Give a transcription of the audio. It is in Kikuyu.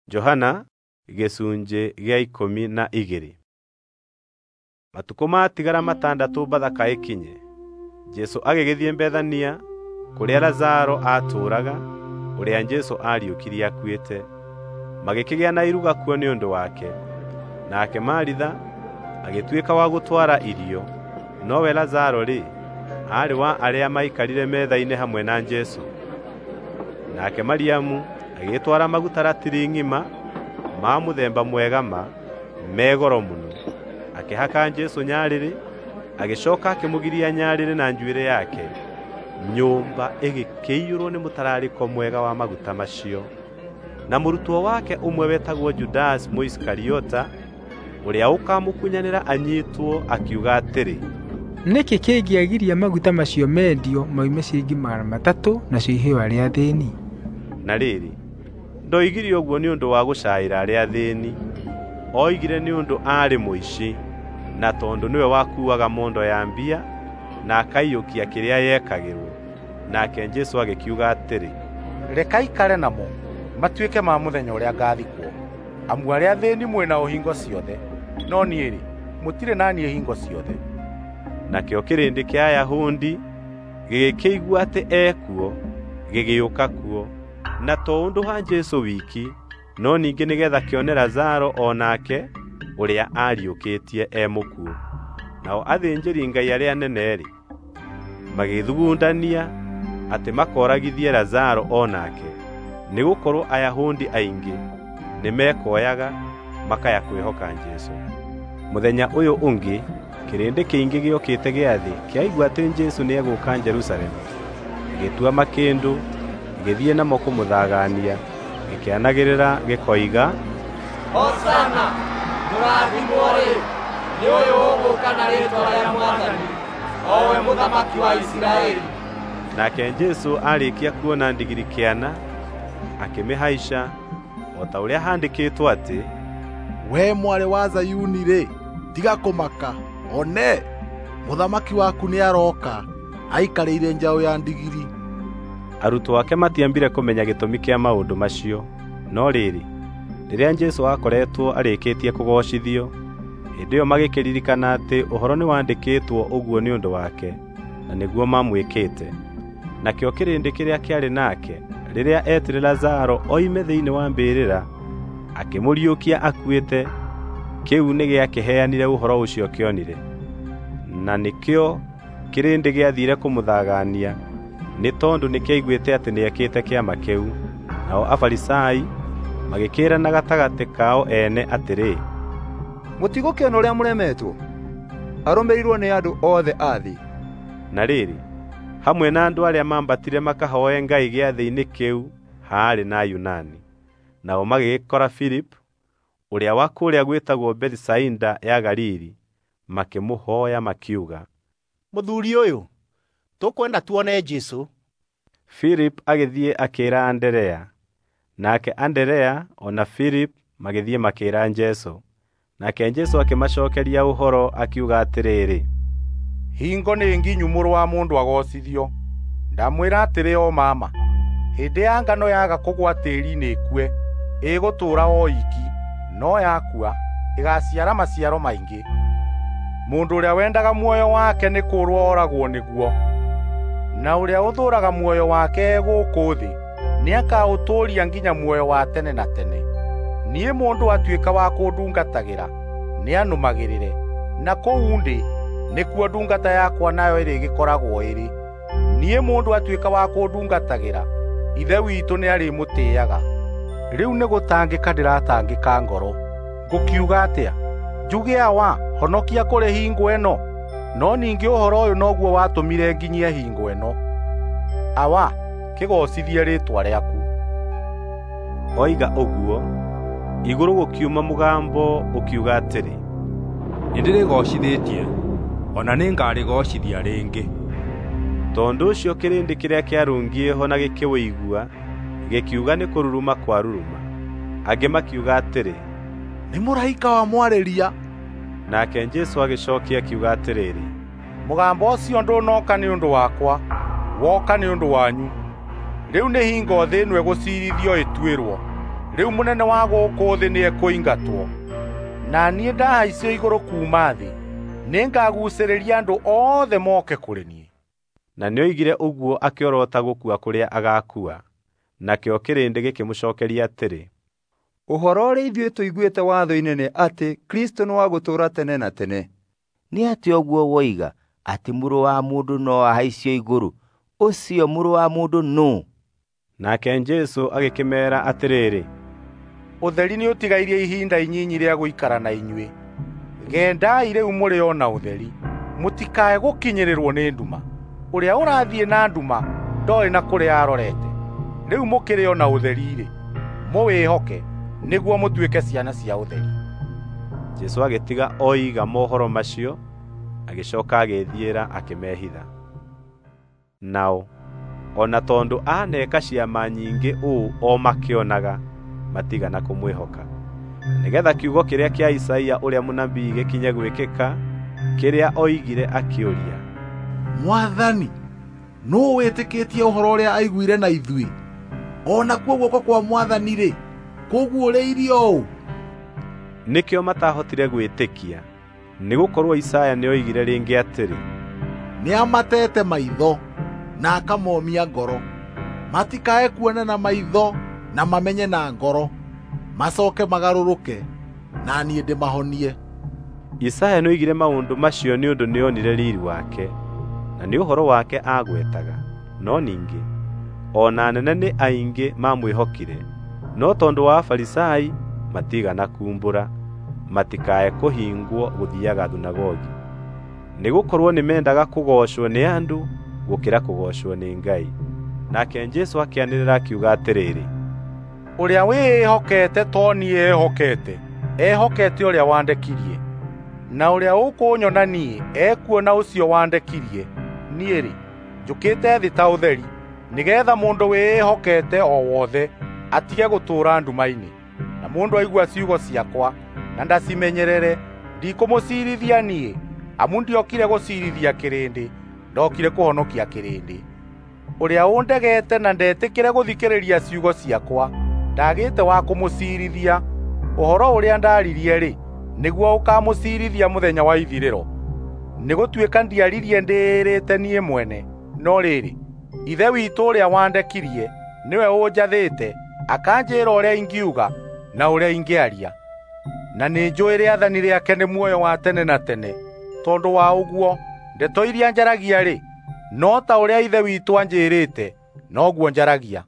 Johana gĩcunjĩ gĩa 12. Matukũ matigara 6 Bathaka ĩkinye, Jesũ agĩgĩthiĩ Bethania kũrĩa Lazaro aatũũraga, ũrĩa Jesũ aariũkirie akuĩte. Magĩkĩgĩa na iruga kuo nĩ ũndũ wake. Nake Maritha agĩtuĩka wa gũtwara irio, nowe Lazaro-rĩ, aarĩ wa arĩa maikarire metha-inĩ hamwe na Jesũ. Nake Mariamu agĩtwara maguta ratiri ng'ima ma mũthemba mwega ma, me goro mũno, akĩhaka Jesũ nyarĩrĩ, agĩcooka akĩmũgiria nyarĩrĩ na njuĩrĩ yake. Nyũmba ĩgĩkĩiyũrwo nĩ mũtararĩko mwega wa maguta macio. Na mũrutwo wake ũmwe wetagwo Judasi Mũisikariota, ũrĩa ũkamũkunyanĩra anyiitwo, akiuga atĩrĩ, "Nĩkĩ kĩngĩagiria maguta macio mendio moime ciringi 300 nacio iheo arĩa athĩĩni?" Na rĩrĩ, ndoigire ũguo nĩ ũndũ wa gũcaĩra arĩa athĩĩni, oigire nĩ ũndũ aarĩ mũici, na tondũ nĩwe wakuuaga mondo ya mbia na akaiyũkia kĩrĩa yekagĩrwo. Nake Jesũ agĩkiuga atĩrĩ, "Reka aikare namo matuĩke ma mũthenya ũrĩa ngathikwo. Amu arĩa athĩĩni mwĩ nao hingo ciothe, no niĩ-rĩ, mũtirĩ na niĩ hingo ciothe." Nakĩo kĩrĩndĩ kĩa Ayahudi gĩgĩkĩigua atĩ ekuo, gĩgĩũka kuo, na to ũndũ wa Jesũ wiki, no ningĩ nĩgeetha kĩone Lazaro o nake ũrĩa aariũkĩtie e mũkuũ. Nao athĩnjĩri-Ngai arĩa anene-rĩ, magĩthugundania atĩ makooragithie Lazaro o nake, nĩgũkorwo Ayahudi aingĩ nĩmekoyaga makaya kwĩhoka Jesũ. Mũthenya ũyũ ũngĩ kĩrĩndĩ kĩingĩ gĩokĩte gĩathĩ kĩaigua atĩ Jesũ nĩegũũka Jerusalemu, gĩgĩtua makĩndũ gĩgĩthiĩ namo kũmũthagania, gĩkĩanagĩrĩra gĩkoiga, "Hosana! Mũrathimwo-rĩ, nĩ ũyũ ũgũũka na rĩĩtwa rĩa Mwathani, o we Mũthamaki wa Isiraeli." Nake Jesũ aarĩkia kuona ndigiri kĩana, akĩmĩhaica, o ta ũrĩa haandĩkĩtwo atĩ, "We mwarĩ wa Zayuni-rĩ, tiga kũmaka, one, mũthamaki waku nĩarooka, aikarĩire njaũ ya ndigiri." Arutwo ake matiambire kũmenya gĩtũmi kĩa maũndũ macio. No rĩrĩ, rĩrĩa Jesũ aakoretwo arĩkĩtie kũgoocithio, hĩndĩ ĩyo magĩkĩririkana atĩ ũhoro nĩwandĩkĩtwo ũguo nĩ ũndũ wake, na nĩguo mamwĩkĩte. Nakĩo kĩrĩndĩ kĩrĩa kĩarĩ nake rĩrĩa eetire Lazaro oime thĩinĩ wa mbĩrĩra akĩmũriũkia akuĩte, kĩu nĩgĩakĩheanire ũhoro ũcio kĩonire. Na nĩkĩo kĩrĩndĩ gĩathiire kũmũthagania, nĩ tondũ nĩkĩaiguĩte atĩ nĩekĩte kĩama kĩu. Nao Afarisai magĩkĩĩrana gatagatĩ kao ene atĩrĩ, "Mũtigũkĩona ũrĩa mũremetwo? Arũmĩrĩirwo nĩ andũ othe a thĩ." Na rĩrĩ, hamwe na andũ arĩa maambatire makahooe Ngai gĩathĩ-inĩ kĩu haarĩ na Ayunani. Nao magĩgĩkora Filipu, ũrĩa wa kũrĩa gwĩtagwo Bethisaida ya Galili, makĩmũhooya makiuga, "Mũthuuri ũyũ, tũkwenda tuone Jesũ." Filipu agĩthiĩ akĩĩra Anderea, nake Anderea o na Filipu magĩthiĩ makĩĩra Jesũ. Nake Jesũ akĩmacookeria ũhoro akiuga atĩrĩrĩ, "Hingo nĩ nginyu Mũrũ wa Mũndũ agoocithio. Ndamwĩra atĩrĩ o mama, hĩndĩ ya ngano yaga kũgũa tĩĩri-inĩ ĩkue, ĩgũtũũra o iki, no yakua ĩgaaciara maciaro maingĩ. Mũndũ ũrĩa wendaga muoyo wake nĩ kũũrwo oragwo nĩguo, na ũrĩa ũthũũraga muoyo wake e gũkũ thĩ nĩakaũtũũria nginya muoyo wa tene na tene. Niĩ mũndũ atuĩka wa kũndungatagĩra nĩanũmagĩrĩre, na kũu ndĩ nĩkuo ndungata yakwa nayo ĩrĩgĩkoragwo ĩrĩ. Niĩ mũndũ atuĩka wa kũndungatagĩra, Ithe witũ nĩarĩmũtĩĩaga. Rĩu nĩgũtangĩka ndĩratangĩka ngoro. Ngũkiuga atĩa? Njuge, 'Awa, honokia kũrĩ hingo ĩno?' No ningĩ ũhoro ũyũ noguo watũmire nginyie hingo ĩno. Awa, kĩgoocithie rĩĩtwa rĩaku." Oiga ũguo, igũrũ gũkiuma mũgambo ũkiuga atĩrĩ, "Nĩndĩrĩgoocithĩtie, o na nĩngarĩgoocithia rĩngĩ." Tondũ ũcio kĩrĩndĩ kĩrĩa kĩarũngiĩ ho na gĩkĩũigua gĩkiuga nĩ kũruruma kwaruruma. Angĩ makiuga atĩrĩ, "Nĩ mũraika wamwarĩria." Nake Jesũ agĩcookia akiuga atĩrĩrĩ, "Mũgambo ũcio ndũnoka nĩ ũndũ wakwa, woka nĩ ũndũ wanyu. Rĩu nĩ hingo thĩ ĩno ĩgũciirithio ĩtuĩrwo. Rĩu mũnene wa gũkũ thĩ nĩekũingatwo. Na niĩ ndahaicio igũrũ kuuma thĩ, nĩngaguucĩrĩria andũ othe moke kũrĩ niĩ. Na nĩoigire ũguo akĩorota gũkua kũrĩa agaakua. Nakĩo kĩrĩndĩ gĩkĩmũcookeria atĩrĩ, Ũhoro ũrĩa ithuĩ tũiguĩte watho-inĩ nĩ atĩ Kristũ nĩ wa gũtũũra tene na tene. Nĩ atĩa ũguo woiga atĩ Mũrũ wa Mũndũ no ahaicio igũrũ? Ũcio Mũrũ wa Mũndũ nũũ? Nake Jesũ agĩkĩmeera atĩrĩrĩ, Ũtheri nĩũtigairie ihinda inyinyi rĩa gũikara na inyuĩ. Gendai rĩu mũrĩ o na ũtheri, mũtikae gũkinyĩrĩrwo nĩ nduma. Ũrĩa ũrathiĩ na nduma ndoĩ na kũrĩa arorete. Rĩu mũkĩrĩ o na ũtheri-rĩ, mũwĩhoke nĩguo mũtuĩke ciana cia ũtheri. Jesũ agĩtiga oiga mohoro macio, agĩcooka agĩĩthiĩra akĩmehitha. Nao o na tondũ aneka ciama nyingĩ ũũ o makĩonaga, matigana kũmwĩhoka. Nĩgeetha kiugo kĩrĩa kĩa Isaia ũrĩa mũnabii gĩkinye gwĩkĩka, kĩrĩa oigire akĩũria, Mwathani, nũũ wĩtĩkĩtie ũhoro ũrĩa aiguire na ithuĩ? O nakuo guoko kwa Mwathani-rĩ, kũguũrĩirio ũ? Nĩkĩo matahotire gwĩtĩkia, nĩgũkorwo Isaya nĩoigire rĩngĩ atĩrĩ, Nĩamatete maitho na akamomia ngoro, matikae kuona na maitho na mamenye na ngoro, macoke magarũrũke, na niĩ ndĩmahonie. Isaya nĩoigire maũndũ macio nĩ ũndũ nĩonire riiri wake, na nĩ ũhoro wake aagwetaga. No ningĩ o na anene nĩ aingĩ mamwĩhokire, no tondũ wa Afarisai matigana kuumbũra, matikae kũhingwo gũthiiaga thunagogi, nĩgũkorwo nĩmendaga kũgoocwo nĩ andũ gũkĩra kũgoocwo nĩ Ngai. Nake Jesũ akĩanĩrĩra akiuga atĩrĩrĩ, Ũrĩa wĩĩhokete to niĩ ehokete, ehokete ũrĩa wandekirie. Na ũrĩa ũkũnyona niĩ ekuona ũcio wandekirie. Niĩ-rĩ, njũkĩte thĩ ta ũtheri, nĩgeetha mũndũ wĩĩhokete o wothe atige gũtũũra nduma-inĩ. Na mũndũ aigua ciugo ciakwa na ndacimenyerere, ndikũmũciirithia niĩ, amu ndiokire gũciirithia kĩrĩndĩ, ndokire kũhonokia kĩrĩndĩ. Ũrĩa ũndegete na ndetĩkĩre gũthikĩrĩria ciugo ciakwa, ndagĩte wa kũmũciirithia. Ũhoro ũrĩa ndaaririe-rĩ, nĩguo ũkaamũciirithia mũthenya wa ithirĩro. Nĩgũtuĩka ndiaririe ndĩĩrĩte niĩ mwene, no rĩrĩ, Ithe witũ ũrĩa wandekirie nĩwe ũnjathĩte, akanjĩĩra ũrĩa ingiuga na ũrĩa ingĩaria. Na nĩnjũũĩ rĩathani rĩake nĩ muoyo wa tene na tene. Tondũ wa ũguo, ndeto iria njaragia-rĩ, no ta ũrĩa Ithe witũ anjĩĩrĩte, noguo njaragia.